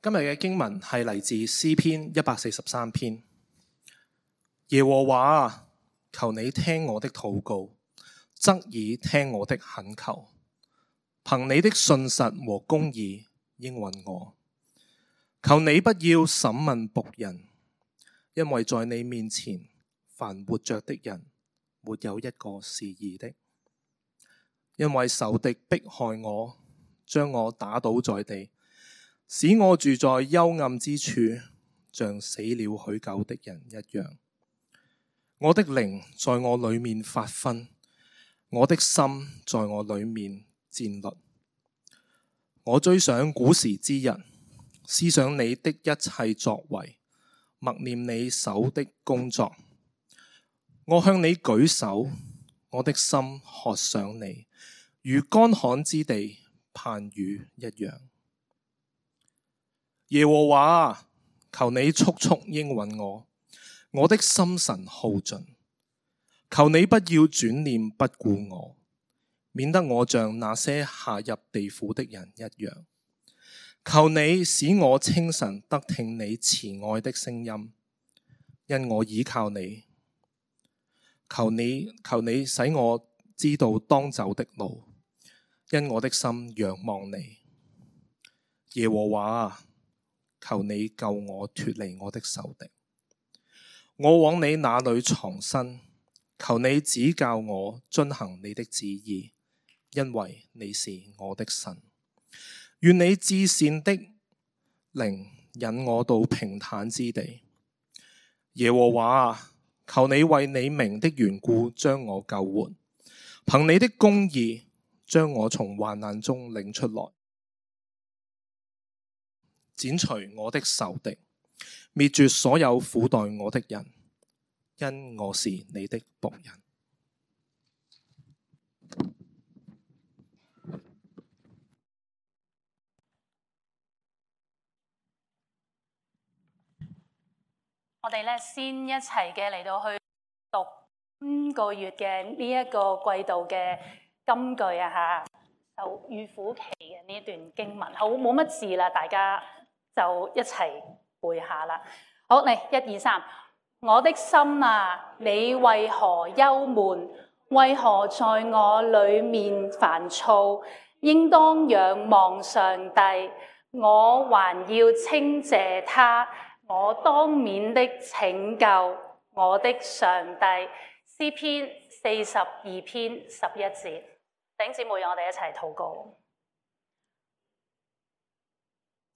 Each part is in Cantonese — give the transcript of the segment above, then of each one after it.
今日嘅經文係嚟自詩篇143篇。耶和華啊，求你聽我的禱告，側耳聽我的懇求，憑你的信實和公義應允我。求你不要審問僕人，因為在你面前凡活着的人沒有一個是義的。因為仇敵迫害我，將我打倒在地，使我住在幽暗之處，像死了許久的人一樣。我的靈在我裏面發昏，我的心在我裏面戰慄。我追想古時之日，思想你的一切作為，默念你手的工作。我向你舉手，我的心渴想你，如乾旱之地盼雨一樣。耶和華啊，求你速速應允我，我的心神耗盡。求你不要轉念不顧我，免得我像那些下入地府的人一樣。求你使我清晨得聽你慈愛的聲音，因我倚靠你。求你使我知道當走的路，因我的心仰望你。耶和華啊，求你救我脫離我的仇敵。我往你那裏藏身，求你指教我遵行你的旨意，因為你是我的神。願你至善的靈引我到平坦之地。耶和華啊，求你為你名的緣故將我救活，憑你的公義將我從患難中領出來，剪除我的仇敵，滅絕所有苦待我的人，因我是你的僕人。我哋先一齊嘅嚟到去讀今個月嘅呢一個季度嘅金句啊吓，就預苦期嘅呢段經文，好冇乜字啦，大家就一齊背下啦。好，嚟1、2、3，我的心啊，你為何憂悶？為何在我裏面煩躁？應當仰望上帝，我還要稱謝他。我當面的拯救，我的上帝。詩篇42篇11節，弟兄姊妹，讓我哋一齊禱告。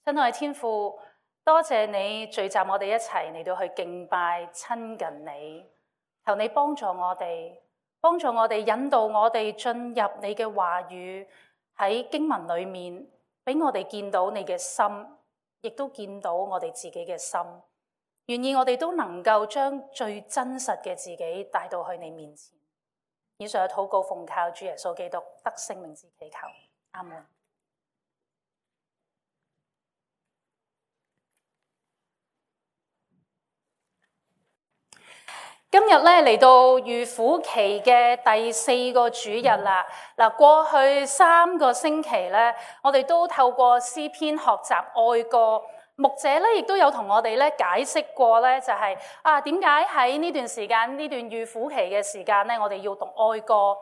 親愛天父，多謝你聚集我哋一齊嚟到去敬拜親近你，求你幫助我哋引導我哋進入你嘅話語，喺經文裏面俾我哋見到你嘅心，亦都見到我哋自己嘅心，願意我哋都能夠將最真實嘅自己帶到去你面前。以上嘅禱告奉靠主耶穌基督得聖名之祈求，阿門。今日嚟到預苦期嘅第4個主日啦。過去3個星期我哋都透過詩篇學習愛歌，牧者亦都有同我哋解釋過就係點解喺呢段時間，呢段預苦期嘅時間我哋要讀愛歌。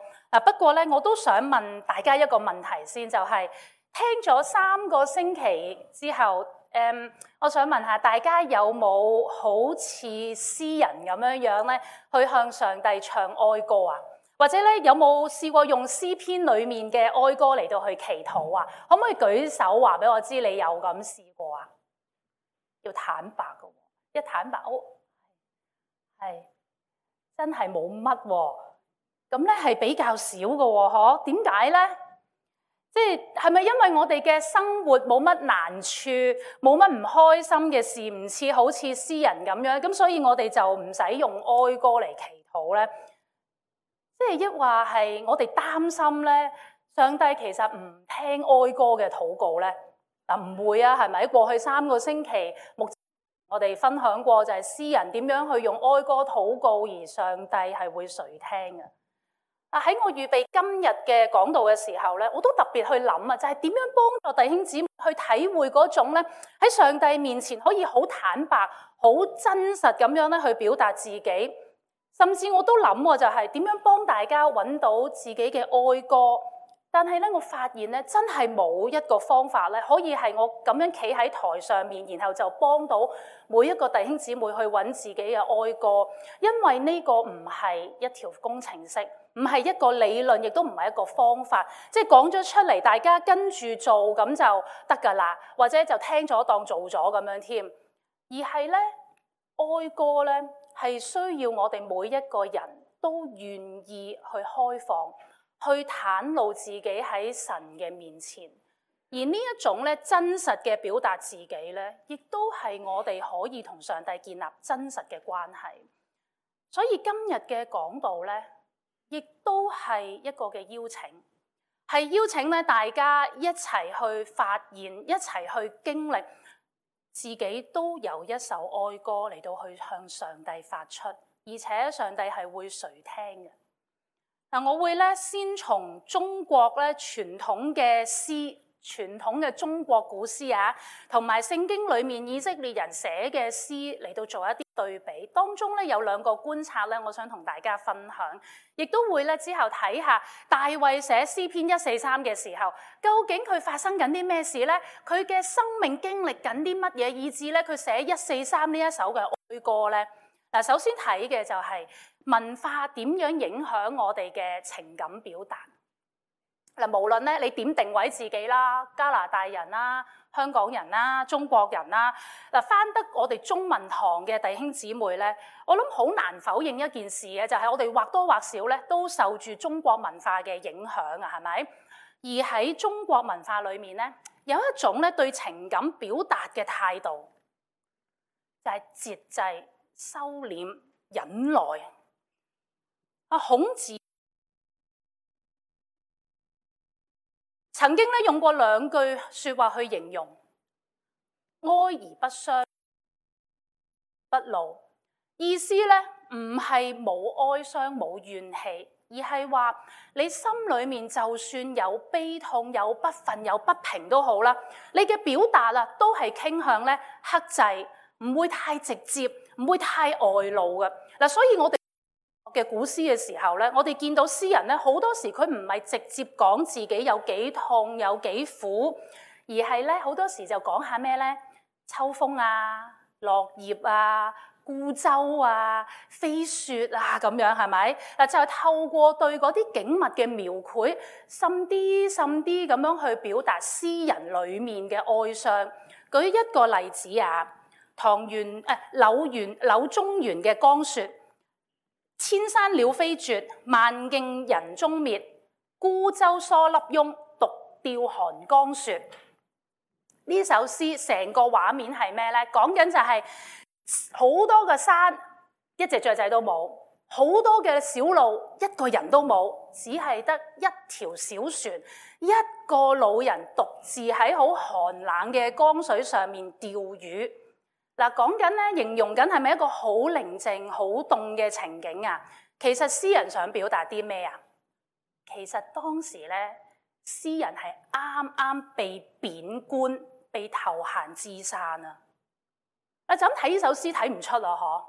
不過我都想問大家一個問題先，就係聽咗3個星期之後，我想問下大家有冇好似詩人咁樣去向上帝唱愛歌啊？或者有冇試過用詩篇裏面嘅愛歌嚟到去祈禱啊？可唔可以舉手話俾我知你有咁試過啊？要坦白㗎，一坦白係真係冇乜喎。咁係比較少㗎喎，嗬？點解呢？即係咪因為我哋嘅生活冇乜難處，冇乜唔開心嘅事，唔似好似詩人咁樣，咁所以我哋就唔使用哀歌嚟祈禱呢？即係抑或係我哋擔心呢，上帝其實唔聽哀歌嘅禱告呢？唔會啊，係咪？過去3個星期，我哋分享過就係詩人點樣去用哀歌禱告，而上帝係會垂聽嘅。喺我預備今日嘅講道嘅時候咧，我都特別去諗啊，就係點樣幫助弟兄姊妹去體會嗰種咧喺上帝面前可以好坦白、好真實咁樣咧去表達自己，甚至我都諗就係點樣幫大家揾到自己嘅哀歌。但係咧，我發現咧，真係冇一個方法咧，可以係我咁樣企喺台上面，然後就幫到每一個弟兄姊妹去揾自己嘅哀歌，因為呢個唔係一條工程式，唔係一個理論，亦都唔係一個方法，即係講咗出嚟，大家跟住做咁就得㗎啦，或者就聽咗當做咗咁樣添。而係咧，哀歌咧係需要我哋每一個人都願意去開放，去袒露自己喺神嘅面前，而呢一種咧真實嘅表達自己咧，亦都係我哋可以同上帝建立真實嘅關係。所以今日嘅講道咧，亦都係一個嘅邀請，係邀請咧大家一齊去發現，一齊去經歷自己都有一首哀歌嚟到去向上帝發出，而且上帝係會垂聽嘅。嗱，我會咧先從中國咧傳統嘅詩、傳統嘅中國古詩啊，同埋聖經裏面以色列人寫嘅詩嚟到做一啲對比。當中咧有兩個觀察咧，我想同大家分享，亦都會咧之後睇下大衛寫詩篇143嘅時候，究竟佢發生緊啲咩事咧？佢嘅生命經歷緊啲乜嘢，以致咧佢寫143呢一首嘅哀歌咧？嗱，首先睇嘅就係文化點樣影響我哋嘅情感表達。嗱，無論咧你點定位自己啦，加拿大人啦、香港人啦、中國人啦，嗱，返得我哋中文堂嘅弟兄姊妹咧，我諗好難否認一件事嘅，就係我哋或多或少咧都受住中國文化嘅影響啊，係咪？而喺中國文化裏面咧，有一種咧對情感表達嘅態度，就係節制、收斂、忍耐。孔子曾經咧用過兩句說話去形容：哀而不傷，不怒。意思咧唔係冇哀傷、冇怨氣，而係話你心裏面就算有悲痛、有不忿、有不平都好啦，你嘅表達都係傾向咧克制，唔會太直接，唔會太外露嘅。嗱，所以我哋嘅古詩嘅時候咧，我哋見到詩人咧好多時佢唔係直接講自己有幾痛有幾苦，而係咧好多時就講下咩咧？秋風啊、落葉啊、孤舟啊、飛雪啊咁樣，係咪？嗱，就係透過對嗰啲景物嘅描繪，深啲咁樣去表達詩人裡面嘅哀傷。舉一個例子啊，柳宗元嘅《江雪》。千山鳥飛絕，萬徑人蹤滅。孤舟蓑笠翁，獨釣寒江雪。呢首詩成個畫面係咩咧？講緊就係好多個山，一隻雀仔都冇；好多嘅小路，一個人都冇，只係得一條小船，一個老人獨自喺好寒冷嘅江水上面釣魚。嗱，講緊咧，形容緊係咪一個好寧靜、好凍嘅情景啊？其實詩人想表達啲咩啊？其實當時咧，詩人係啱啱被貶官、被投閒置散啊！就咁睇呢首詩睇唔出啊，嗬？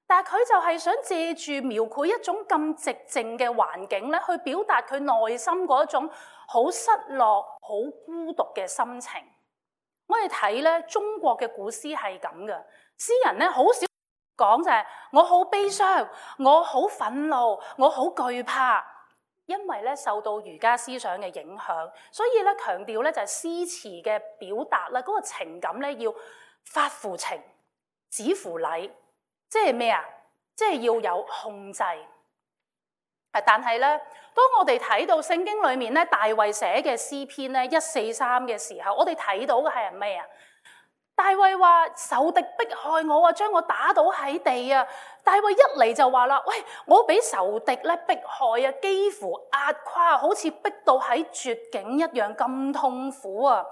但係佢就係想借住描繪一種咁寂靜嘅環境咧，去表達佢內心嗰種好失落、好孤獨嘅心情。我哋睇咧，中國嘅古詩係咁嘅，詩人咧好少講就係我好悲傷，我好憤怒，我好懼怕，因為咧受到儒家思想嘅影響，所以咧強調咧就係詩詞嘅表達啦，嗰個情感咧要發乎情，止乎禮，即係咩啊？即係要有控制。但係咧，當我哋睇到聖經裏面咧，大衛寫嘅詩篇咧143嘅時候，我哋睇到嘅係咩啊？大衛話仇敵迫害我啊，將我打倒喺地啊！大衛一嚟就話啦，喂，我俾仇敵咧迫害啊，幾乎壓垮，好似逼到喺絕境一樣咁痛苦啊！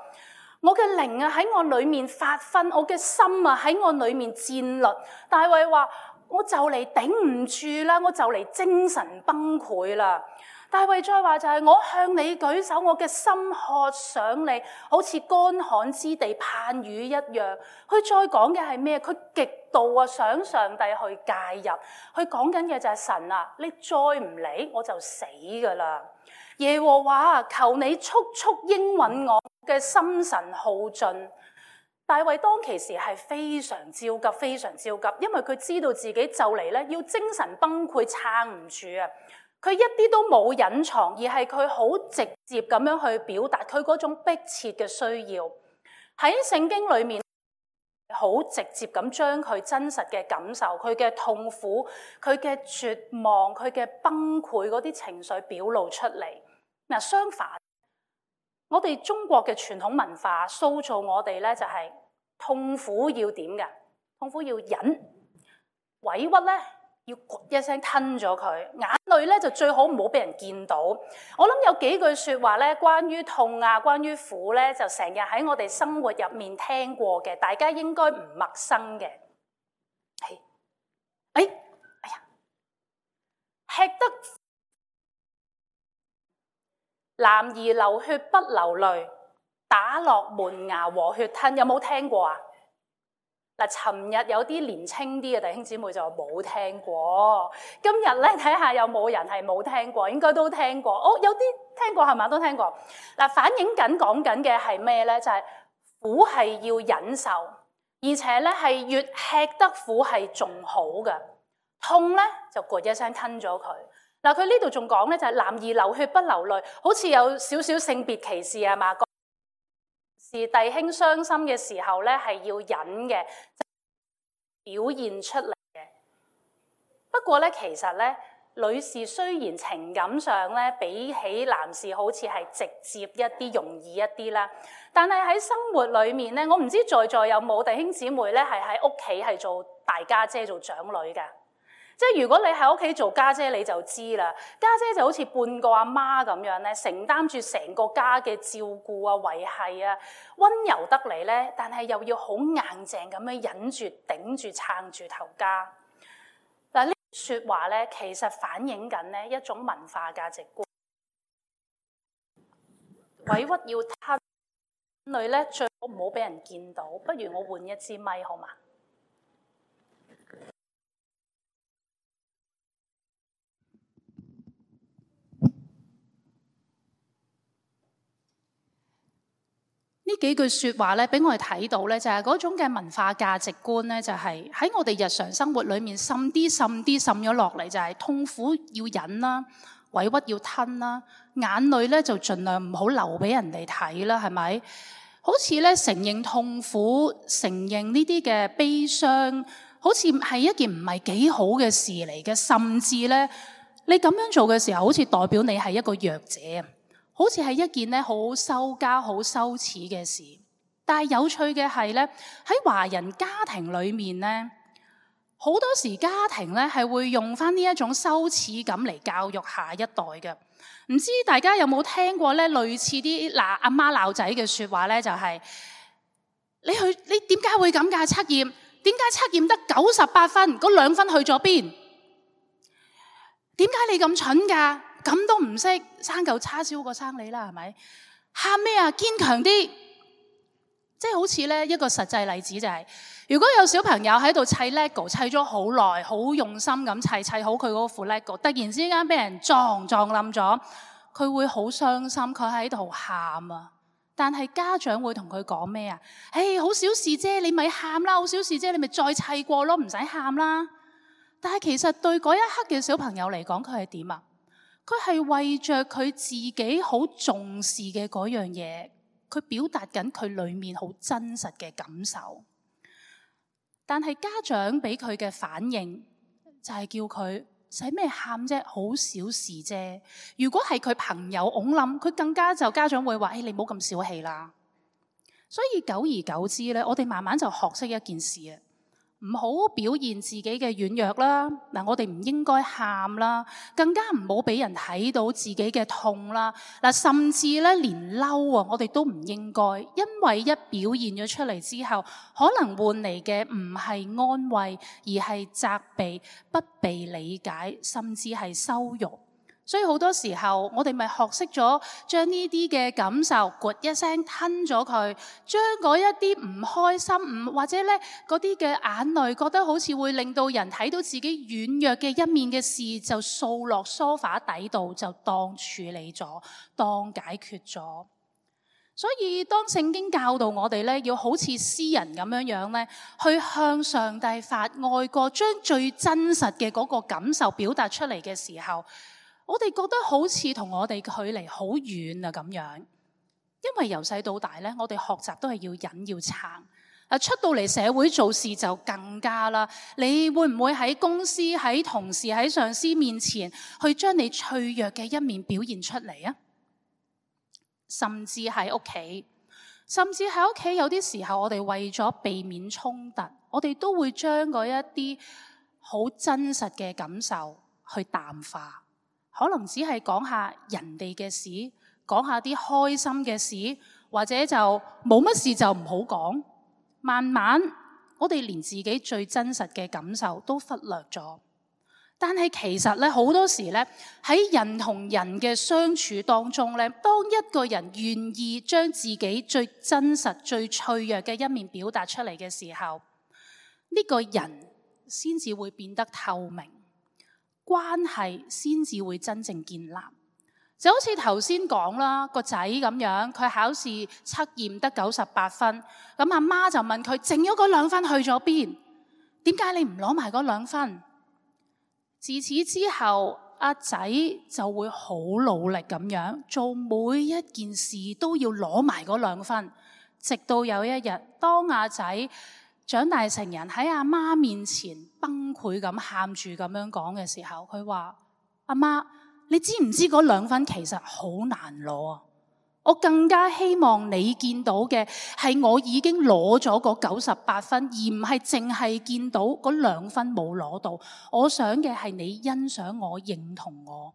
我嘅靈啊喺我裏面發昏，我嘅心啊喺我裏面戰慄。大衛話：我就嚟頂唔住啦，我就嚟精神崩潰啦。大衛再話就係我向你舉手，我嘅心渴想你，好似乾旱之地盼雨一樣。佢再講嘅係咩？佢極度想上帝去介入。佢講緊嘅就係神啊，你再唔理我就死噶啦。耶和華，求你速速應允我嘅心神耗盡。大衛當其時係非常焦急，非常焦急，因為佢知道自己就嚟咧要精神崩潰，撐唔住啊！佢一啲都冇隱藏，而係佢好直接咁樣去表達佢嗰種迫切嘅需要。喺聖經裏面，好直接咁將佢真實嘅感受、佢嘅痛苦、佢嘅絕望、佢嘅崩潰嗰啲情緒表露出嚟。嗱，相反，我哋中國嘅傳統文化塑造我哋咧，就係痛苦要點嘅？痛苦要忍，委屈咧要咕一聲吞咗佢，眼淚咧就最好唔好俾人見到。我諗有幾句説話咧，關於痛啊，關於苦咧，就成日喺我哋生活入面聽過嘅，大家應該唔陌生嘅。哎呀，吃得男兒流血不流淚，打落門牙和血吞，有冇聽過啊？嗱，尋日有啲年青啲嘅弟兄姊妹就冇聽過，今日咧睇下有冇人係冇聽過，應該都聽過。哦，有啲聽過係咪？都聽過。嗱，反映緊講緊嘅係咩咧？就係苦係要忍受，而且咧係越吃得苦係仲好嘅，痛咧就咕一聲吞咗佢。嗱，佢呢度仲講咧，就係男兒流血不流淚，好似有少少性別歧視係嘛？是弟兄傷心嘅時候咧，係要忍嘅，表現出嚟嘅。不過咧，其實咧，女士雖然情感上咧比起男士好似係直接一啲、容易一啲啦，但係喺生活裏面咧，我唔知在座有冇弟兄姊妹咧係喺屋企係做大家姐、做長女㗎。即係如果你喺屋企做家姐，你就知啦。家姐就好似半個阿媽咁樣咧，承擔住成個家嘅照顧啊、維繫啊，溫柔得嚟咧，但係又要好硬淨咁樣忍住、頂住、撐住頭家。嗱，呢啲説話咧，其實反映緊咧一種文化價值觀。委屈要吞，淚咧最好唔好俾人見到。不如我換一支咪好嘛？呢幾句説話咧，俾我哋睇到咧，就係嗰種嘅文化價值觀咧，就係喺我哋日常生活裏面滲咗落嚟，就係痛苦要忍啦，委屈要吞啦，眼淚咧就盡量唔好流俾人哋睇啦，係咪？好似咧承認痛苦、承認呢啲嘅悲傷，好似係一件唔係幾好嘅事嚟嘅，甚至咧你咁樣做嘅時候，好似代表你係一個弱者。好似係一件咧好羞家、好羞恥嘅事，但係有趣嘅係咧，喺華人家庭裏面咧，好多時家庭咧係會用翻呢一種羞恥感嚟教育下一代嘅。唔知大家有冇聽過咧類似啲阿媽鬧仔嘅説話咧？就係你點解會咁㗎？測驗點解測驗得98分，嗰2分去咗邊？點解你咁蠢㗎？咁都唔識，生嚿叉燒過生你啦，係咪？喊咩啊？堅強啲！即係好似咧一個實際例子就係，如果有小朋友喺度砌 LEGO 砌咗好耐，好用心咁砌好佢嗰副 LEGO， 突然之間俾人撞冧咗，佢會好傷心，佢喺度喊啊！但係家長會同佢講咩啊？好小事啫，你咪喊啦，好小事啫，你咪再砌過咯，唔使喊啦。但係其實對嗰一刻嘅小朋友嚟講，佢係點啊？佢係為着佢自己好重視嘅嗰樣嘢，佢表達緊佢裏面好真實嘅感受。但係家長俾佢嘅反應就係叫佢使咩喊啫，好小事啫。如果係佢朋友㧬冧，佢更加就家長會話：你唔好咁小氣啦。所以久而久之咧，我哋慢慢就學識一件事啊，唔好表現自己嘅軟弱啦。嗱，我哋唔應該喊啦，更加唔好俾人睇到自己嘅痛啦。嗱，甚至咧連嬲啊，我哋都唔應該，因為一表現咗出嚟之後，可能換嚟嘅唔係安慰，而係責備、不被理解，甚至係羞辱。所以好多時候，我哋咪學識咗將呢啲嘅感受，咕一聲吞咗佢，將嗰一啲唔開心，或者咧嗰啲嘅眼淚，覺得好似會令到人睇到自己軟弱嘅一面嘅事，就掃落梳化底度，就當處理咗，當解決咗。所以當聖經教導我哋咧，要好似詩人咁樣咧，去向上帝發哀歌，將最真實嘅嗰個感受表達出嚟嘅時候，我哋覺得好似同我哋距離好遠啊咁樣，因為由細到大咧，我哋學習都係要忍要撐。出到嚟社會做事就更加啦。你會唔會喺公司、喺同事、喺上司面前去將你脆弱嘅一面表現出嚟啊？甚至喺屋企，有啲時候我哋為咗避免衝突，我哋都會將嗰一啲好真實嘅感受去淡化。可能只係講下人哋嘅事，講下啲開心嘅事，或者就冇乜事就唔好講。慢慢我哋連自己最真實嘅感受都忽略咗。但係其實咧，好多時咧，喺人同人嘅相處當中咧，當一個人願意將自己最真實、最脆弱嘅一面表達出嚟嘅時候，呢個人先至會變得透明，關係先至會真正建立。就好似頭先講啦，個仔咁樣，佢考試測驗得98分，咁阿媽就問佢剩咗嗰2分去咗邊？點解你唔攞埋嗰2分？自此之後，阿仔就會好努力咁樣做每一件事，都要攞埋嗰2分，直到有一日，當阿仔長大成人喺阿媽面前崩潰咁喊住咁樣講嘅時候，佢話：阿媽，你知唔知嗰2分其實好難攞啊？我更加希望你見到嘅係我已經攞咗嗰98分，而唔係淨係見到嗰2分冇攞到。我想嘅係你欣賞我、認同我。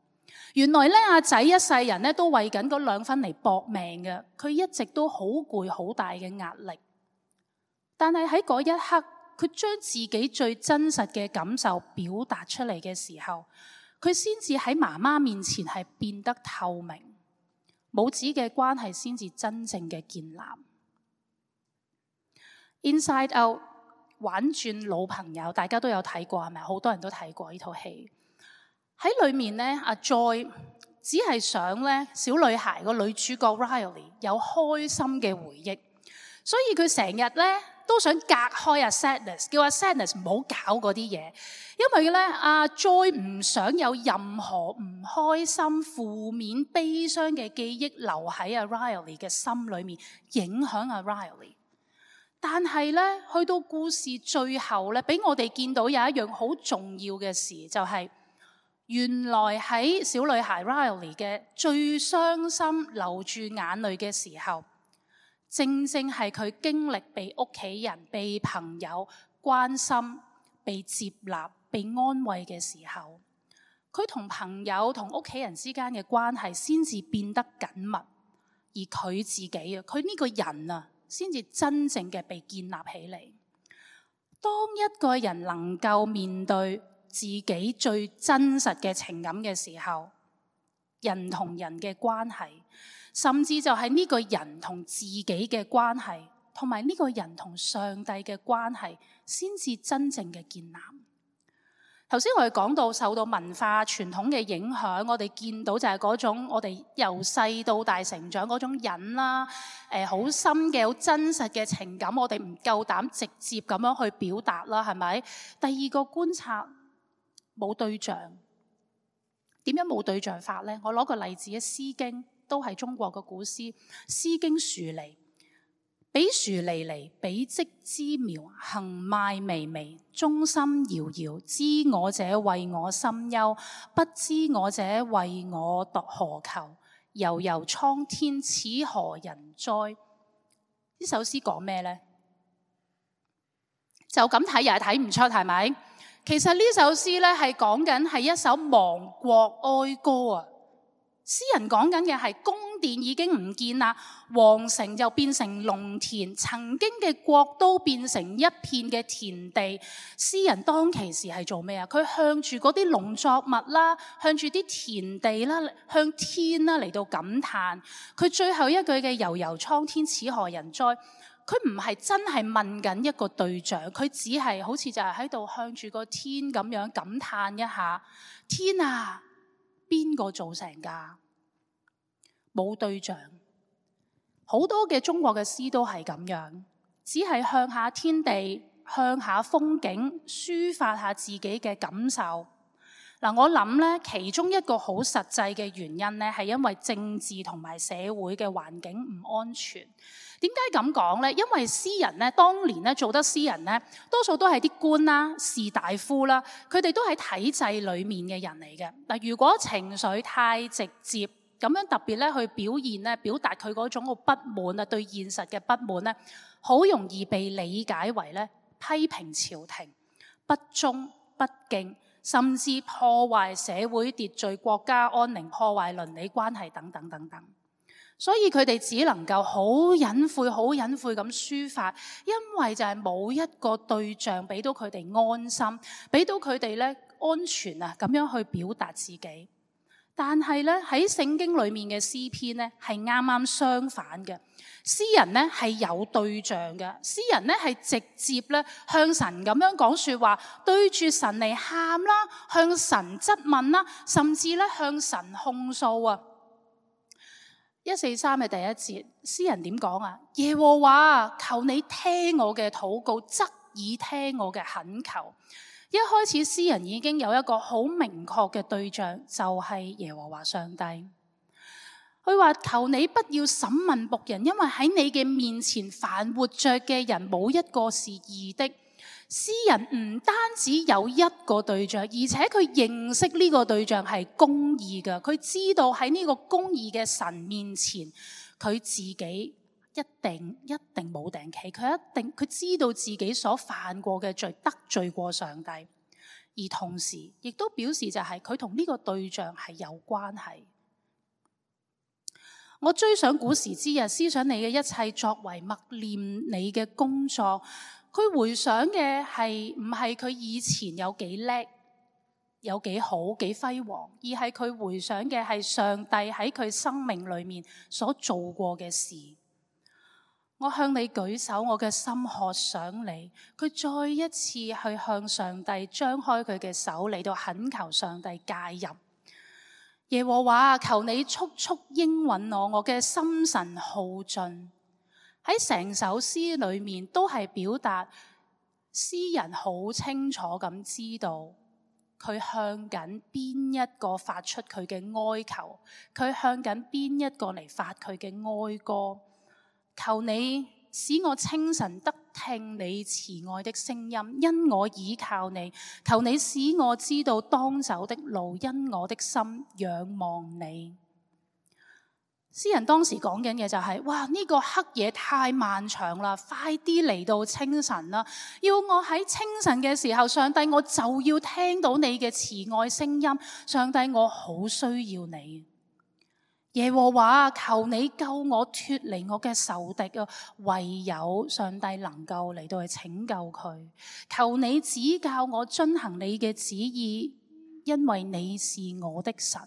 原來咧，阿仔一世人咧都為緊嗰2分嚟搏命嘅，佢一直都好攰、好大嘅壓力。但係喺嗰一刻，佢將自己最真實嘅感受表達出嚟嘅時候，佢先至喺媽媽面前係變得透明。母子嘅關係先至真正嘅建立。Inside Out 玩轉老朋友，大家都有睇過係咪？好多人都睇過呢套戲。喺裏面咧，阿 Joy 只係想咧小女孩個女主角 Riley 有開心嘅回憶，所以佢成日咧都想隔開阿 Sadness， 叫阿 Sadness 唔好搞嗰啲嘢，因為咧阿 Joy 唔想有任何唔開心、負面、悲傷嘅記憶留喺阿 Riley 嘅心裏面，影響阿 Riley。但係咧，去到故事最後咧，俾我哋見到有一樣好重要嘅事，就係原來喺小女孩 Riley 嘅最傷心、流住眼淚嘅時候，正正係佢經歷被屋企人、被朋友關心、被接納、被安慰嘅時候，佢同朋友同屋企人之間嘅關係先至變得緊密，而佢自己啊，佢呢個人啊，先至真正嘅被建立起嚟。當一個人能夠面對自己最真實嘅情感嘅時候，人同人嘅關係，甚至就係呢個人同自己嘅關係，同埋呢個人同上帝嘅關係，先至真正嘅建立。頭先我哋講到受到文化傳統嘅影響，我哋見到就係嗰種我哋由細到大成長嗰種忍啦，好深嘅好真實嘅情感，我哋唔夠膽直接咁樣去表達啦，係咪？第二個觀察，冇對象。點樣冇對象法呢？我攞個例子，《詩經》都係中國嘅古詩，《詩經·樹離》。彼樹離離，彼稷之苗，行邁靡靡，中心遙遙。知我者謂我心憂，不知我者謂我何求？悠悠蒼天，此何人哉？呢首詩講咩呢？就咁睇又係睇唔出，係咪？其實呢首詩咧係講緊係一首亡國哀歌啊！詩人講緊嘅係宮殿已經唔見啦，皇城就變成農田，曾經嘅國都變成一片嘅田地。詩人當其時係做咩啊？佢向住嗰啲農作物啦，向住啲田地啦，向天啦嚟到感嘆。佢最後一句嘅悠悠蒼天，此何人哉？佢唔係真係問緊一個對象，佢只係好似就係喺度向住個天咁樣感嘆一下：天啊，邊個做成㗎？冇對象。好多嘅中國嘅詩都係咁樣，只係向下天地，向下風景，抒發下自己嘅感受。我諗咧，其中一個好實際嘅原因咧，係因為政治同埋社會嘅環境唔安全。點解咁講咧？因為詩人咧，當年咧做得詩人咧，多數都係啲官啦、士大夫啦，佢哋都喺體制裏面嘅人嚟嘅。嗱，如果情緒太直接，咁樣特別咧去表現咧，表達佢嗰種個不滿啊，對現實嘅不滿咧，好容易被理解為咧批評朝廷、不忠不敬，甚至破壞社會秩序、國家安寧、破壞倫理關係等等等等。所以佢哋只能夠好隱晦、好隱晦咁抒發，因為就係冇一個對象俾到佢哋安心，俾到佢哋咧安全啊，咁樣去表達自己。但係咧喺聖經裏面嘅詩篇咧係啱啱相反嘅，詩人咧係有對象嘅，詩人咧係直接咧向神咁樣講說話，對住神嚟喊啦，向神質問啦，甚至咧向神控訴啊。143嘅第一節，詩人點講啊？耶和華，求你聽我嘅禱告，側耳聽我嘅懇求。一開始詩人已經有一個好明確嘅對象，就係耶和華上帝。佢話：求你不要審問僕人，因為喺你嘅面前，凡活着嘅人冇一個是義的。詩人唔單止有一個對象，而且佢認識呢個對象係公義嘅。佢知道喺呢個公義嘅神面前，佢自己一定冇定企。佢知道自己所犯過嘅罪，得罪過上帝，而同時亦都表示就係佢同呢個對象係有關係。我追想古時之日，思想你嘅一切作為，默念你嘅工作。佢回想嘅係唔係佢以前有幾叻、有幾好、幾輝煌，而係佢回想嘅係上帝喺佢生命裏面所做過嘅事。我向你舉手，我嘅心渴想你。佢再一次去向上帝張開佢嘅手嚟到懇求上帝介入。耶和華，求你速速應允我嘅心神耗盡。喺成首詩裏面都係表達詩人好清楚咁知道佢向緊邊一個發出佢嘅哀求，佢向緊邊一個嚟發佢嘅哀歌。求你使我清晨得聽你慈愛的聲音，因我倚靠你。求你使我知道當走的路，因我的心仰望你。詩人當時講緊嘅就係：哇！呢個黑夜太漫長啦，快啲嚟到清晨啦！要我喺清晨嘅時候，上帝，我就要聽到你嘅慈愛聲音。上帝，我好需要你。耶和華，求你救我脫離我嘅仇敵啊！唯有上帝能夠嚟到去拯救佢。求你指教我遵行你嘅旨意，因為你是我的神。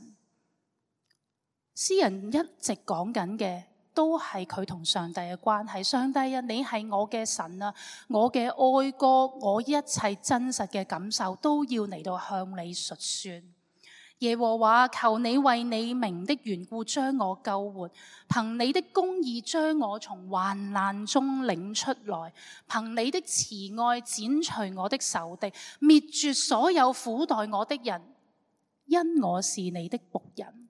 詩人一直講緊嘅都係佢同上帝嘅關係。上帝啊，你係我嘅神啊，我嘅哀歌，我一切真實嘅感受都要嚟到向你述說。耶和華，求你為你名的緣故將我救活，憑你的公義將我從患難中領出來，憑你的慈愛剪除我的仇敵，滅絕所有苦待我的人，因我是你的僕人。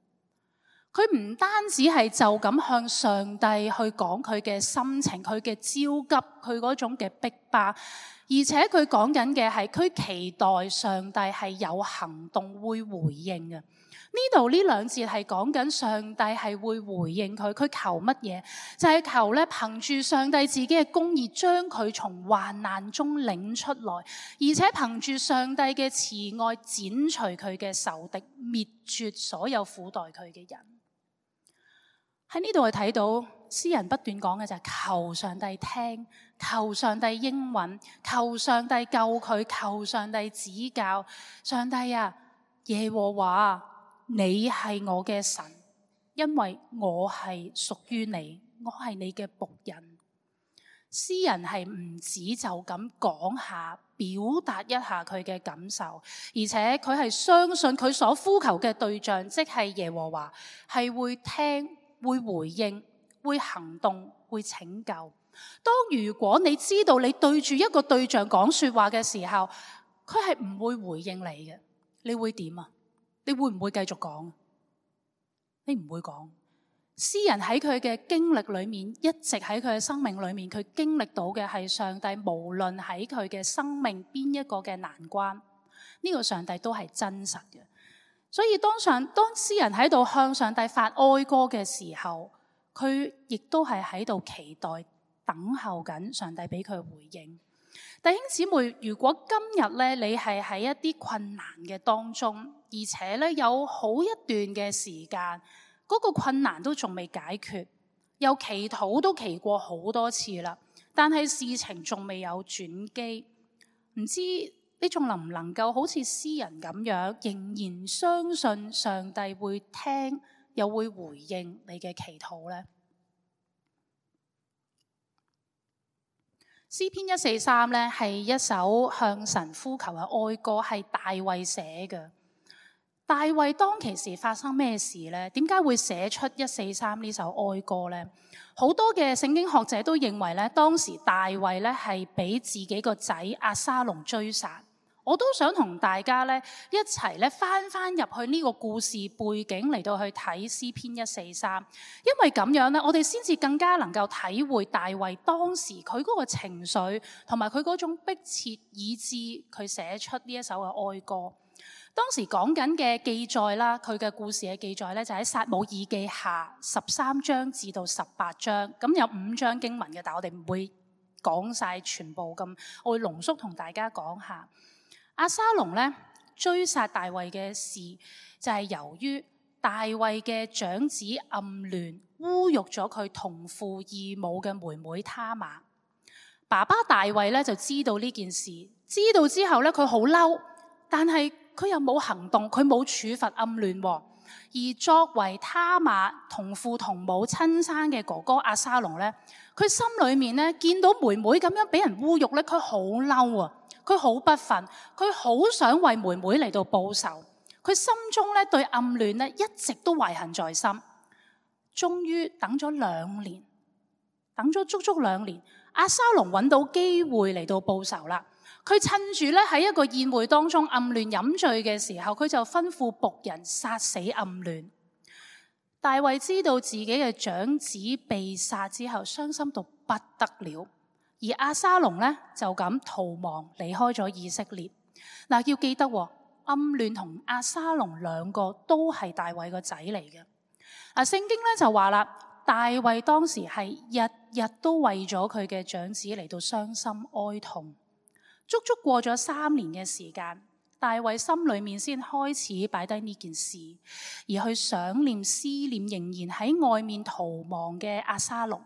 佢唔單止係就咁向上帝去講佢嘅心情，佢嘅焦急，佢嗰種嘅逼巴，而且佢講緊嘅係佢期待上帝係有行動會回應嘅。呢度呢兩節係講緊上帝係會回應佢求乜嘢？就係求咧憑住上帝自己嘅公義將佢從患難中領出來，而且憑住上帝嘅慈愛剪除佢嘅仇敵，滅絕所有苦待佢嘅人。喺呢度係睇到詩人不斷講嘅就係求上帝聽，求上帝應允，求上帝救佢，求上帝指教。上帝啊，耶和華，你係我嘅神，因為我係屬於你，我係你嘅僕人。詩人係唔止就咁講下，表達一下佢嘅感受，而且佢係相信佢所呼求嘅對象，即係耶和華，係會聽、會回應、會行動、會拯救。當如果你知道你對住一個對象講說話嘅時候，佢係唔會回應你嘅，你會點啊？你會唔會繼續講？你唔會講。詩人喺佢嘅經歷裏面，一直喺佢嘅生命裏面，佢經歷到嘅係上帝無論喺佢嘅生命邊一個嘅難關，呢個上帝都係真實嘅。所以當詩人喺度向上帝發哀歌嘅時候，佢亦都係喺度期待等候緊上帝俾佢回應。弟兄姊妹，如果今日咧你係喺一啲困難嘅當中，而且咧有好一段嘅時間，嗰個困難都仲未解決，又祈禱都祈過好多次啦，但係事情仲未有轉機，唔知你仲能唔能夠好似詩人咁樣，仍然相信上帝會聽，又會回應你嘅祈禱呢？詩篇143咧係一首向神呼求嘅哀歌，係大衛寫嘅。大衛當其時發生咩事呢？點解會寫出143呢首哀歌呢？好多嘅聖經學者都認為咧，當時大衛咧係俾自己個仔押沙龍追殺。我都想同大家咧一齊咧翻入去呢個故事背景嚟到去睇詩篇143，因為咁樣咧，我哋先至更加能夠體會大衛當時佢嗰個情緒同埋佢嗰種迫切，以致佢寫出呢一首嘅哀歌。當時講緊嘅記載啦，佢嘅故事嘅記載咧就喺撒母耳記下13章至到18章，咁有5章經文嘅，但我哋唔會講晒全部咁，我會濃縮同大家講下。押沙龍咧追殺大衛嘅事，就係由於大衛嘅長子暗嫩侮辱咗佢同父異母嘅妹妹他瑪。爸爸大衛咧就知道呢件事，知道之後咧佢好嬲，但係佢又冇行動，佢冇處罰暗嫩。而作為他瑪同父同母親生嘅哥哥押沙龍咧，佢心裏面咧見到妹妹咁樣俾人侮辱咧，佢好嬲啊！佢好不忿，佢好想為妹妹嚟到報仇。佢心中咧對暗嫩咧一直都懷恨在心。終於等咗2年，等咗足足2年，押沙龍揾到機會嚟到報仇啦。佢趁住咧喺一個宴會當中，暗嫩飲醉嘅時候，佢就吩咐僕人殺死暗嫩。大衛知道自己嘅長子被殺之後，傷心到不得了。而押沙龍咧就咁逃亡離開咗以色列。嗱，要記得暗嫩同押沙龍兩個都係大衛個仔嚟嘅。聖經咧就話啦，大衛當時係日日都為咗佢嘅長子嚟到傷心哀痛。足足過咗3年嘅時間，大衛心裏面先開始擺低呢件事，而去想念思念仍然喺外面逃亡嘅押沙龍。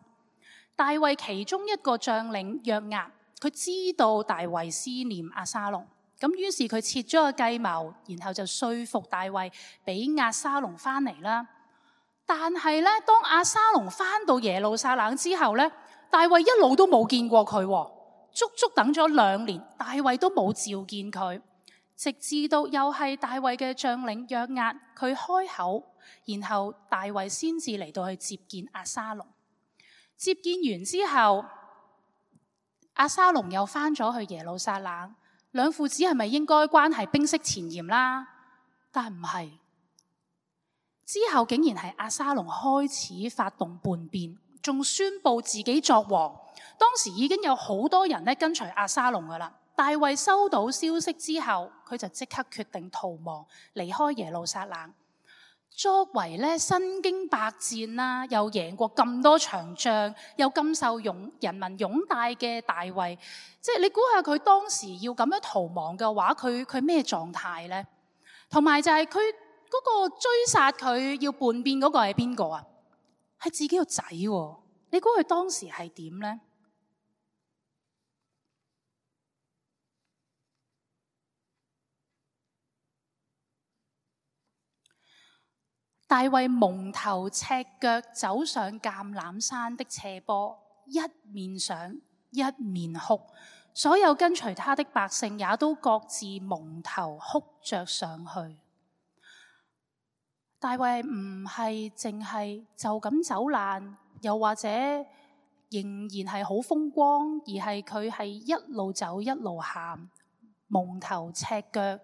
大衛其中一個將領約押，佢知道大衛思念押沙龍，咁於是佢設咗個計謀，然後就說服大衛俾押沙龍翻嚟啦。但係咧，當押沙龍翻到耶路撒冷之後咧，大衛一路都冇見過佢，足足等咗2年，大衛都冇召見佢，直至到又係大衛嘅將領約押佢開口，然後大衛先至嚟到去接見押沙龍。接見完之後，押沙龍又翻咗去耶路撒冷，兩父子係咪應該關係冰釋前嫌啦？但唔係，之後竟然係押沙龍開始發動叛變，仲宣布自己作王，當時已經有好多人咧跟隨押沙龍噶啦。大衛收到消息之後，佢就即刻決定逃亡，離開耶路撒冷。作為咧身經百戰啦，又贏過咁多場仗，又咁受人民擁戴嘅大衛，即係你估下佢當時要咁樣逃亡嘅話，佢咩狀態呢？同埋就係佢嗰個追殺佢要叛變嗰個係邊個啊？係自己個仔喎。你估佢當時係點呢？大衛蒙頭赤腳走上橄欖山的斜坡，一面上一面哭，所有跟隨他的百姓也都各自蒙頭哭着上去。大衛唔係淨係就咁走難，又或者仍然係好風光，而係佢係一路走一路喊，蒙頭赤腳，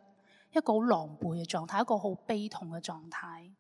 一個好狼狽嘅狀態，一個好悲痛嘅狀態。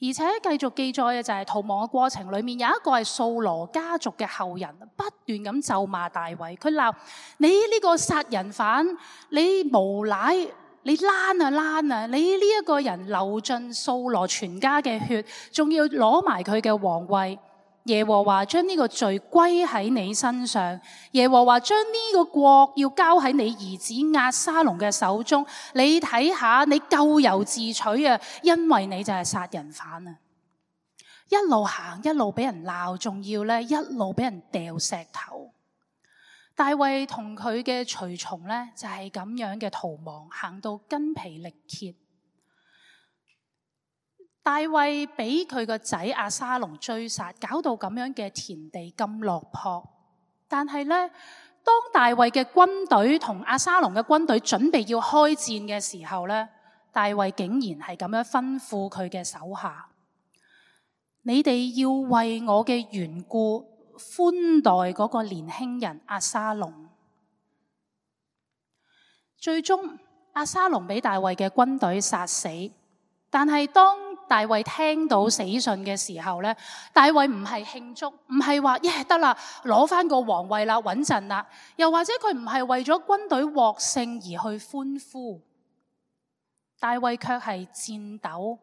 而且繼續記載嘅就係逃亡嘅過程裏面，有一個係掃羅家族嘅後人，不斷咁咒罵大衛。佢鬧你呢個殺人犯，你無賴，你躝啊躝啊！你呢一個人流盡掃羅全家嘅血，仲要攞埋佢嘅皇位。耶和華將呢個罪歸喺你身上，耶和華將呢個國要交喺你兒子押沙龍嘅手中。你睇下，你咎由自取啊！因為你就係殺人犯啊！一路行一路俾人鬧，仲要咧一路俾人掉石頭。大衛同佢嘅隨從咧就係咁樣嘅逃亡，行到筋疲力竭。大衛俾佢個仔押沙龍追殺，搞到咁樣嘅田地咁落魄。但係呢，當大衛嘅軍隊同押沙龍嘅軍隊準備要開戰嘅時候呢，大衛竟然係咁樣吩咐佢嘅手下：你哋要為我嘅緣故寬待嗰個年輕人押沙龍。最終押沙龍俾大衛嘅軍隊殺死。但係當大衛聽到死訊嘅時候咧，大衛唔係慶祝，唔係話耶得啦，攞翻個皇位啦，穩陣啦，又或者佢唔係為咗軍隊獲勝而去歡呼，大衛卻係顫抖，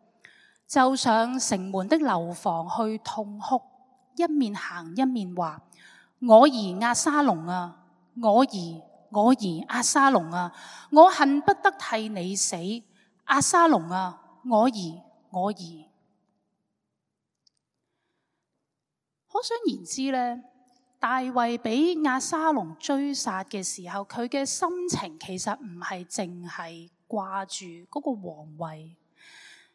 就上城門的樓房去痛哭，一面行一面話：我兒押沙龍啊，我兒押沙龍啊，我恨不得替你死，押沙龍啊，我兒。可想而知咧，大衛俾押沙龍追殺嘅時候，佢嘅心情其實唔係淨係掛住嗰個皇位，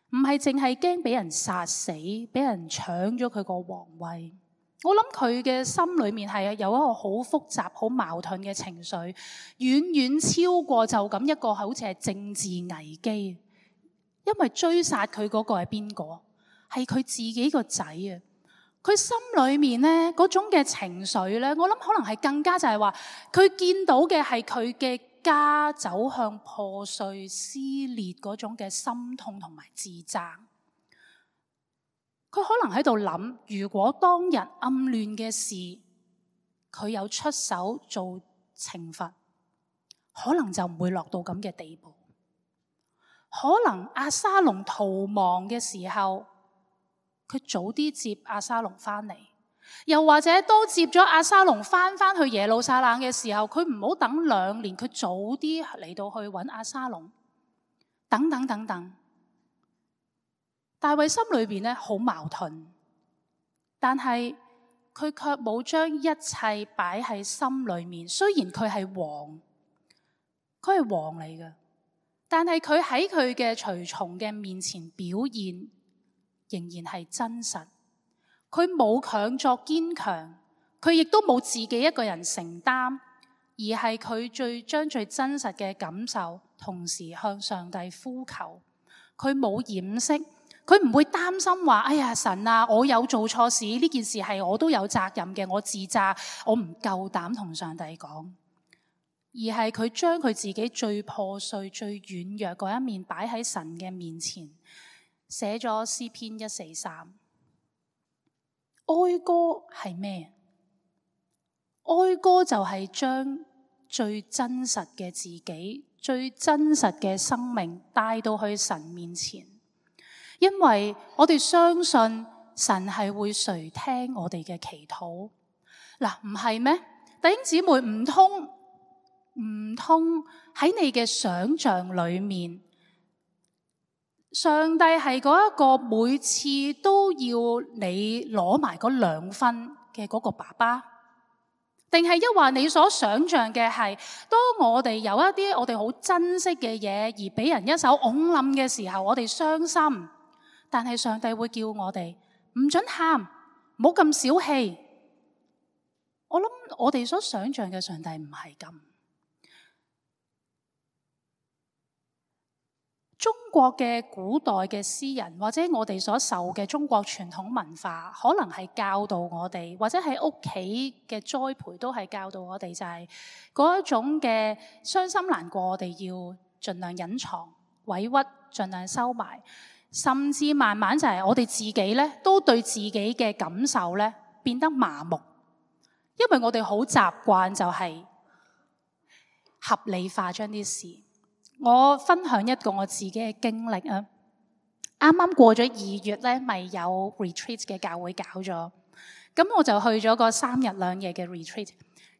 唔係淨係驚俾人殺死，俾人搶咗佢個皇位。我諗佢嘅心裏面係有一個好複雜、好矛盾嘅情緒，遠遠超過就咁一個好似係政治危機。因為追殺佢嗰個係邊個？係佢自己個仔啊！佢心裏面咧嗰種嘅情緒咧，我諗可能係更加就係話，佢見到嘅係佢嘅家走向破碎撕裂嗰種嘅心痛同埋自責。佢可能喺度諗，如果當日暗亂嘅事，佢有出手做懲罰，可能就唔會落到咁嘅地步。可能押沙龍逃亡嘅時候，佢早啲接押沙龍翻嚟，又或者都接咗押沙龍翻去耶路撒冷嘅時候，佢唔好等2年，佢早啲嚟到去揾押沙龍，等等等等。大衛心裏邊咧好矛盾，但係佢卻冇將一切擺喺心裏面。雖然佢係王，佢係王嚟嘅。但係佢喺佢嘅隨從嘅面前表現仍然係真實，佢冇強作堅強，佢亦都冇自己一個人承擔，而係佢將最真實嘅感受同時向上帝呼求。佢冇掩飾，佢唔會擔心話：哎呀神啊，我有做錯事，呢件事係我都有責任嘅，我自責，我唔夠膽同上帝講。而係佢將佢自己最破碎、最軟弱嗰一面擺喺神嘅面前，寫咗詩篇143。哀歌係咩？哀歌就係將最真實嘅自己、最真實嘅生命帶到去神面前，因為我哋相信神係會垂聽我哋嘅祈禱。嗱，唔係咩？弟兄姊妹，唔通喺你嘅想象裏面，上帝係嗰一個每次都要你攞埋嗰2分嘅嗰個爸爸？定係抑或你所想象嘅係，當我哋有一啲我哋好珍惜嘅嘢而俾人一手拱冧嘅時候，我哋傷心，但係上帝會叫我哋唔准喊，唔好咁小氣。我諗我哋所想象嘅上帝唔係咁。中國嘅古代嘅詩人，或者我哋所受嘅中國傳統文化，可能係教導我哋，或者喺屋企嘅栽培都係教導我哋，就係嗰一種嘅傷心難過，我哋要盡量隱藏，委屈盡量收埋，甚至慢慢就係我哋自己咧，都對自己嘅感受咧變得麻木，因為我哋好習慣就係合理化將啲事。我分享一個我自己嘅經歷啊！啱啱過咗2月咧，咪有 retreat 嘅教會搞咗，咁我就去咗個3日2夜嘅 retreat。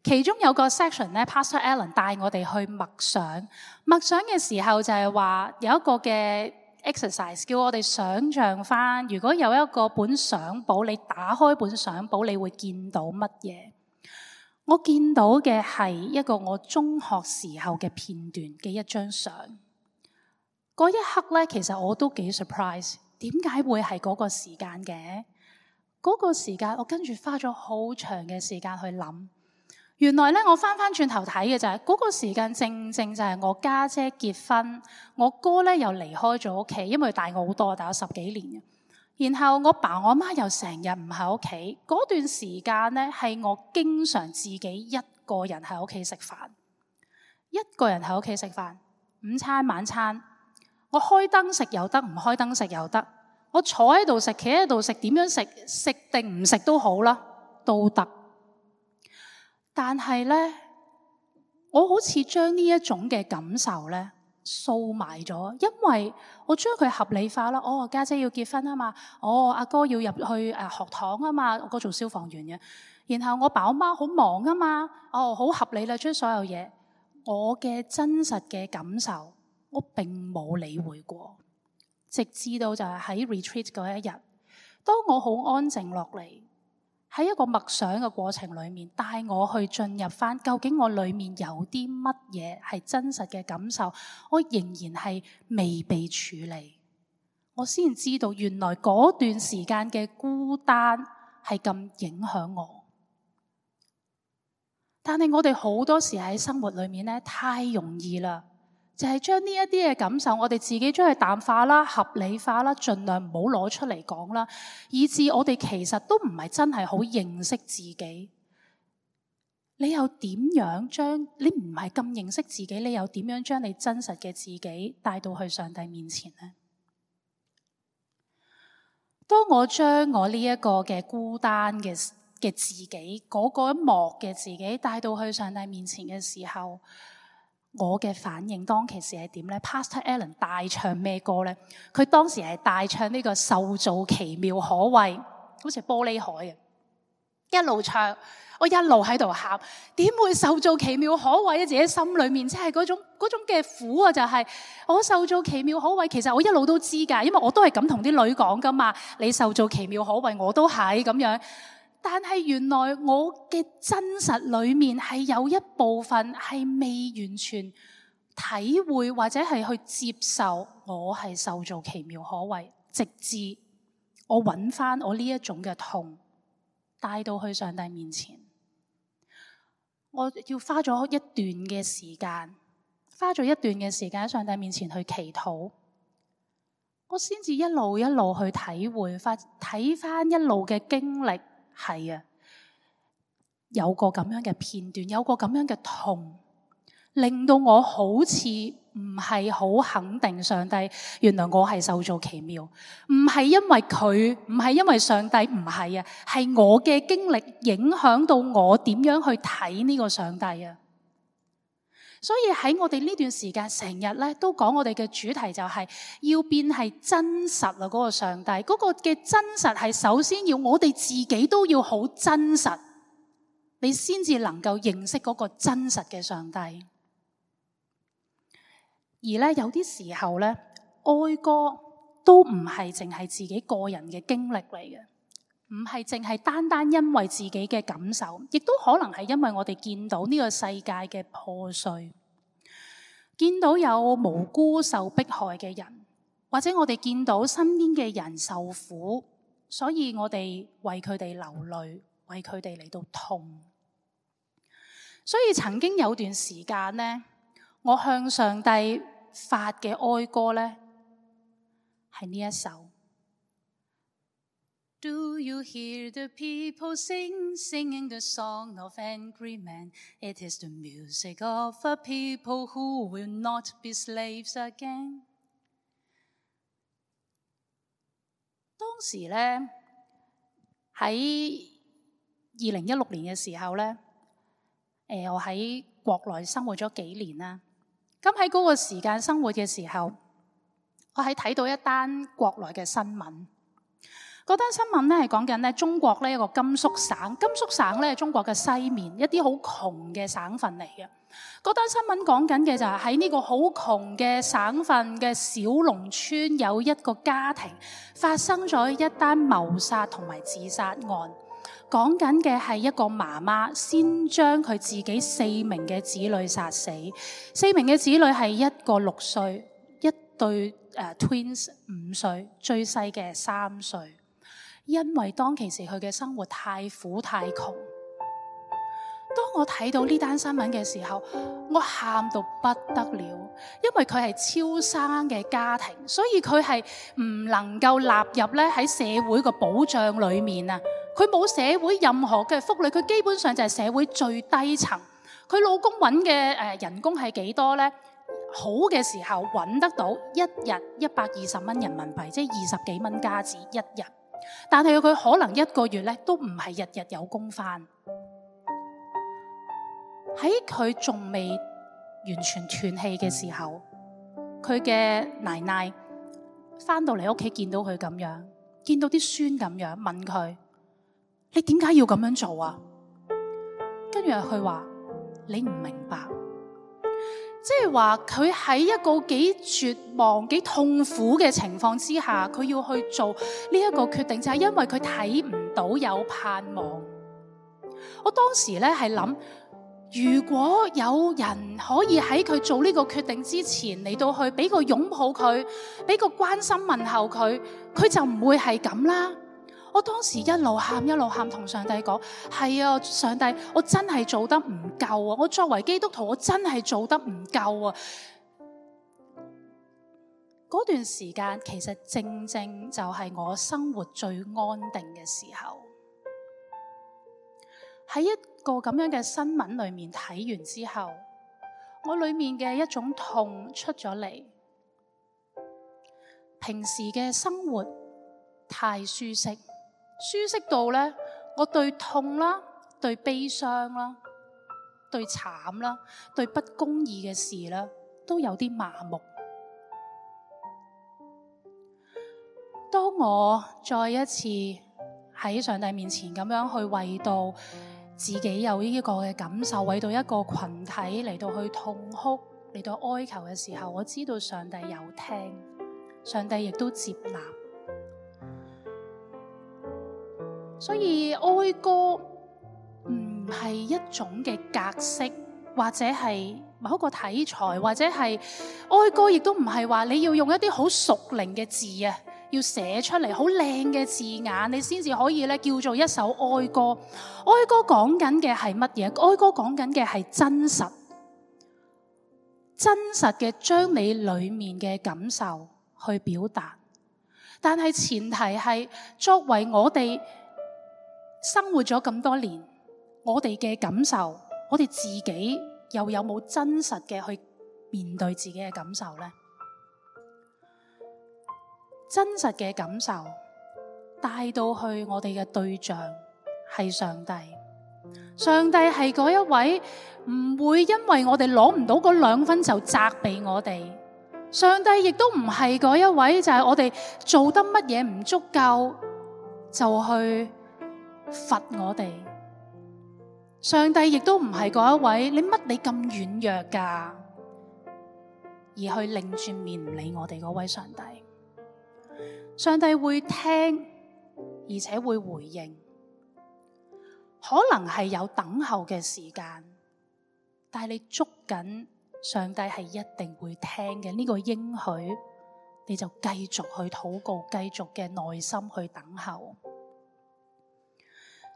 其中有個 section 咧 ，Pastor Alan 帶我哋去默想。默想嘅時候就係話有一個嘅 exercise，叫我哋想像翻，如果有一個本相簿，你打開本相簿，你會見到乜嘢？我見到嘅係一個我中學時候嘅片段嘅一張相。嗰一刻咧，其實我都幾 surprise， 點解會係嗰個時間嘅？嗰個時間我跟住花咗好長嘅時間去諗。原來咧，我翻轉頭睇嘅就係嗰個時間，正正就係我家姐結婚，我哥咧又離開咗屋企，因為佢大我好多，大我10幾年嘅。然後我爸我媽又成日唔喺屋企，嗰段時間咧係我經常自己一個人喺屋企食飯，一個人喺屋企食飯，午餐晚餐，我開燈食又得，唔開燈食又得，我坐喺度食，企喺度食，點樣食，食定唔食都好啦，都得。但係咧，我好似將呢一種嘅感受咧掃埋咗，因為我將佢合理化啦。哦，家姐要結婚啊嘛，哦，阿哥要入去學堂啊嘛，我哥做消防員嘅。然後我爸我媽好忙啊嘛，哦，好合理啦，將所有嘢，我嘅真實嘅感受，我並冇理會過，直至到就係喺 retreat 嗰一日，當我好安靜落嚟，喺一個默想嘅過程裏面，帶我去進入翻究竟我裏面有啲乜嘢係真實嘅感受，我仍然係未被處理，我先知道原來嗰段時間嘅孤單係咁影響我。但係我哋好多時喺生活裏面咧，太容易啦，就係將呢一啲嘅感受，我哋自己將佢淡化啦、合理化啦，盡量唔好攞出嚟講啦，以致我哋其實都唔係真係好認識自己。你又點樣將你唔係咁認識自己，你又點樣將你真實嘅自己帶到去上帝面前呢？當我將我呢一個嘅孤單嘅自己，嗰一幕嘅自己帶到去上帝面前嘅時候，我嘅反應當其時係點呢？ Pastor Alan 大唱咩歌呢？佢當時係大唱呢個受造奇妙可畏，好似玻璃海啊！一路唱，我一路喺度喊，點會受造奇妙可畏啊？自己心裏面即係嗰種嘅苦啊！就係我受造奇妙可畏，其實我一路都知㗎，因為我都係咁同啲女講㗎嘛。你受造奇妙可畏，我都係咁樣。但係原來我嘅真實裏面係有一部分係未完全體會或者係去接受我係受造奇妙可畏，直至我揾翻我呢一種嘅痛帶到去上帝面前。我要花咗一段嘅時間，喺上帝面前去祈禱，我先至一路一路去體會翻，睇翻一路嘅經歷。係啊，有個咁樣嘅片段，有個咁樣嘅痛，令到我好似唔係好肯定上帝，原來我係受造奇妙，唔係因為佢，唔係因為上帝，唔係啊，係我嘅經歷影響到我點樣去睇呢個上帝啊。所以喺我哋呢段時間成日咧都講我哋嘅主題就係要變係真實啊，嗰個上帝嗰個嘅真實係首先要我哋自己都要好真實，你先至能夠認識嗰個真實嘅上帝。而咧有啲時候咧，哀歌都唔係淨係自己個人嘅經歷嚟嘅，唔係淨係單單因為自己嘅感受，亦都可能係因為我哋見到呢個世界嘅破碎，見到有無辜受迫害嘅人，或者我哋見到身邊嘅人受苦，所以我哋為佢哋流淚，為佢哋嚟到痛。所以曾經有段時間呢，我向上帝發嘅哀歌呢，係呢一首。Do you hear the people singing the song of angry men? It is the music of a people who will not be slaves again. 當時呢，喺2016年嘅時候呢，我喺國內生活咗幾年啦。咁喺嗰個時間生活嘅時候，我係睇到一單國內嘅新聞。嗰單新聞咧係講緊咧中國呢一個甘肅省，甘肅省咧係中國嘅西面一啲好窮嘅省份嚟嘅。嗰單新聞講緊嘅就係喺呢個好窮嘅省份嘅小農村，有一個家庭發生咗一單謀殺同埋自殺案。講緊嘅係一個媽媽先將佢自己4名嘅子女殺死，4名嘅子女係一個6歲，一對twins 5歲，最細嘅3歲。因為當其時佢嘅生活太苦太窮，當我睇到呢單新聞嘅時候，我喊到不得了，因為佢係超生嘅家庭，所以佢係唔能夠納入咧喺社會個保障裏面啊！佢冇社會任何嘅福利，佢基本上就係社會最低層。佢老公揾嘅人工係幾多呢？好嘅時候揾得到一日120蚊人民幣，即係20幾蚊加紙一日。但係佢可能一個月咧都唔係日日有工返。喺佢仲未完全斷氣嘅時候，佢嘅奶奶返到嚟屋企見到佢咁樣，見到啲孫咁樣，問佢：你點解要咁樣做啊？跟住佢話：你唔明白。即係話佢喺一個幾絕望、幾痛苦嘅情況之下，佢要去做呢一個決定，就係因為佢睇唔到有盼望。我當時咧係諗，如果有人可以喺佢做呢個決定之前嚟到去俾個擁抱佢，俾個關心問候佢，佢就唔會係咁啦。我當時一路喊同上帝講：係啊，上帝，我真係做得唔夠啊！我作為基督徒，我真係做得唔夠啊！嗰段時間其實正正就係我生活最安定嘅時候。喺一個咁樣嘅新聞裏面睇完之後，我裏面嘅一種痛出咗嚟。平時嘅生活太舒適。舒適到咧，我對痛啦、對悲傷啦、對慘啦、對不公義嘅事啦，都有啲麻木。當我再一次喺上帝面前咁樣去為到自己有呢個嘅感受，為到一個群體嚟到去痛哭、嚟到哀求嘅時候，我知道上帝有聽，上帝亦都接納。所以哀歌唔係一種嘅格式，或者係某一個題材，或者係哀歌亦都唔係話你要用一啲好屬靈嘅字啊，要寫出嚟好靚嘅字眼，你先至可以咧叫做一首哀歌。哀歌講緊嘅係乜嘢？哀歌講緊嘅係真實，真實嘅將你裏面嘅感受去表達。但係前提係作為我哋生活咗咁多年，我哋嘅感受，我哋自己又有冇真實嘅去面對自己嘅感受呢？真實嘅感受帶到去我哋嘅對象係上帝。上帝係嗰一位唔會因為我哋攞唔到嗰2分就責備我哋。上帝亦都唔係嗰一位就係我哋做得乜嘢唔足夠就去罰我哋。上帝亦都唔係嗰一位你咁軟弱㗎，而去擰轉面唔理我哋嗰位上帝。上帝會聽，而且會回應，可能係有等候嘅時間，但係你捉緊上帝係一定會聽嘅呢個應許，你就繼續去禱告，繼續嘅耐心去等候。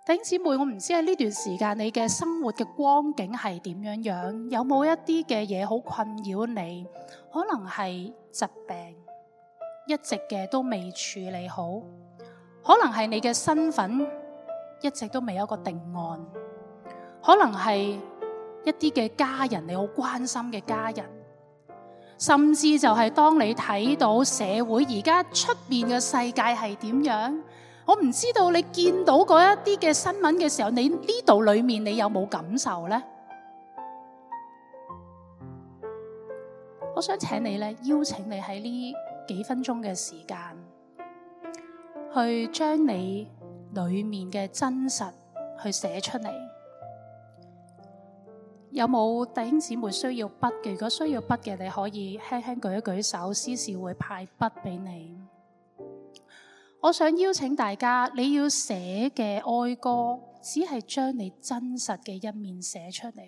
弟兄姊妹，我唔知喺呢段時間你嘅生活嘅光景係點樣樣，有冇一啲嘅嘢好困擾你？可能係疾病，一直嘅都未處理好，可能係你嘅身份一直都未有一個定案，可能係一啲嘅家人你好關心嘅家人，甚至就係當你睇到社會而家出面嘅世界係點樣，我唔知道你見到嗰一啲嘅新聞嘅時候，你呢度裏面你有冇感受呢？我想請你咧，邀請你喺呢幾分鐘嘅時間，去將你裏面嘅真實去寫出嚟。有冇弟兄姊妹需要筆嘅？如果需要筆嘅，你可以輕輕舉一舉手，司事會派筆俾你。我想邀請大家，你要寫嘅哀歌，只係將你真實嘅一面寫出嚟。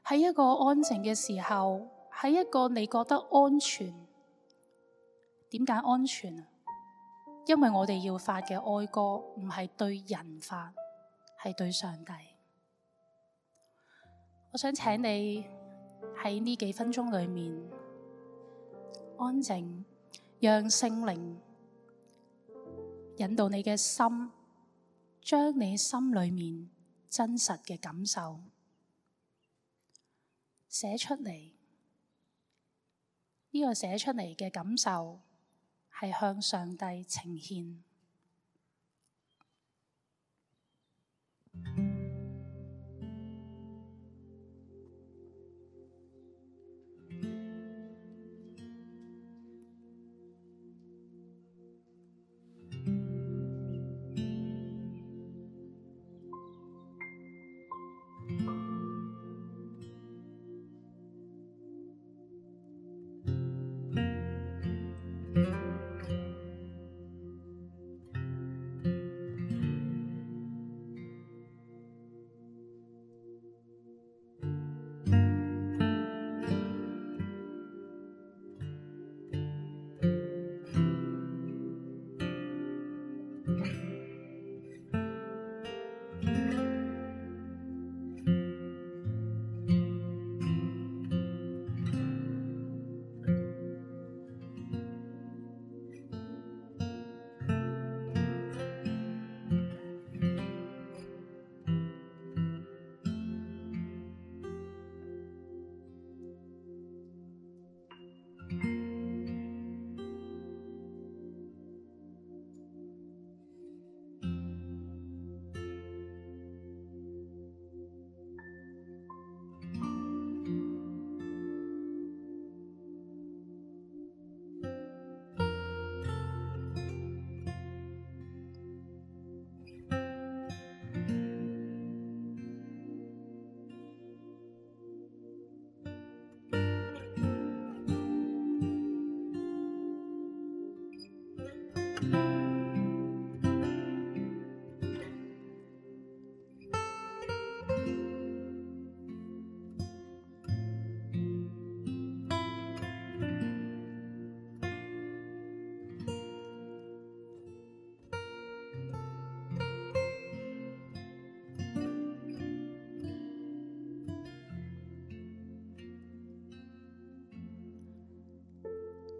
喺一個安靜嘅時候，喺一個你覺得安全。點解安全啊？因為我哋要發嘅哀歌唔係對人發，係對上帝。我想請你喺呢幾分鐘裏面安靜，讓聖靈引導你嘅心，將你心裏面真實嘅感受寫出嚟。呢個寫出嚟嘅感受係向上帝呈獻。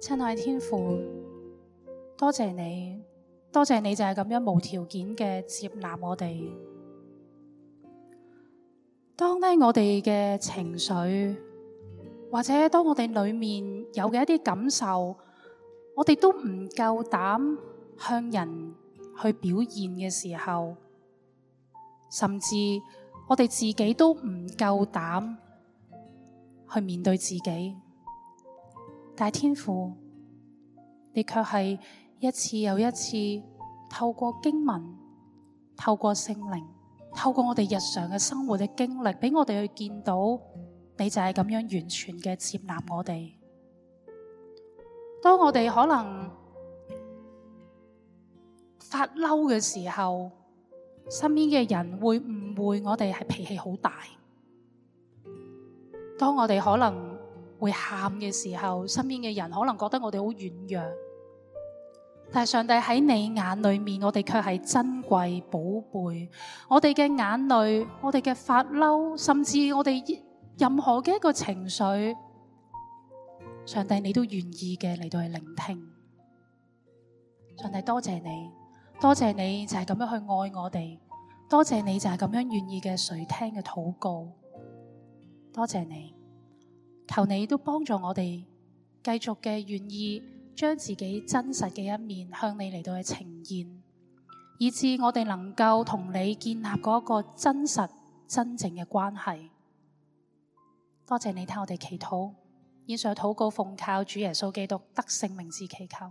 親愛天父，多謝你，多謝你就係咁樣無條件嘅接納我哋。當我哋嘅情緒，或者當我哋裏面有嘅一啲感受，我哋都唔夠膽向人去表現嘅時候，甚至我哋自己都唔夠膽去面對自己，但係天父，你卻係一次又一次透過經文，透過聖靈，透過我哋日常嘅生活嘅經歷，俾我哋去見到你就係咁樣完全嘅接納我哋。當我哋可能發嬲嘅時候，身邊嘅人會誤會我哋係脾氣好大。當我哋可能會喊嘅時候，身邊嘅人可能覺得我哋好軟弱。但係上帝喺你眼裏面，我哋卻係珍貴寶貝。我哋嘅眼淚，我哋嘅發嬲，甚至我哋任何嘅一個情緒，上帝你都願意嘅嚟到去聆聽。上帝多謝你，多謝你就係咁樣去愛我哋，多謝你就係咁樣願意嘅垂聽嘅禱告。多謝你，求你都幫助我哋繼續嘅願意將自己真實嘅一面向你嚟到去呈現，以致我哋能夠同你建立嗰個真實真正嘅關係。多謝你聽我哋祈禱，以上禱告奉靠主耶穌基督得勝名字祈求。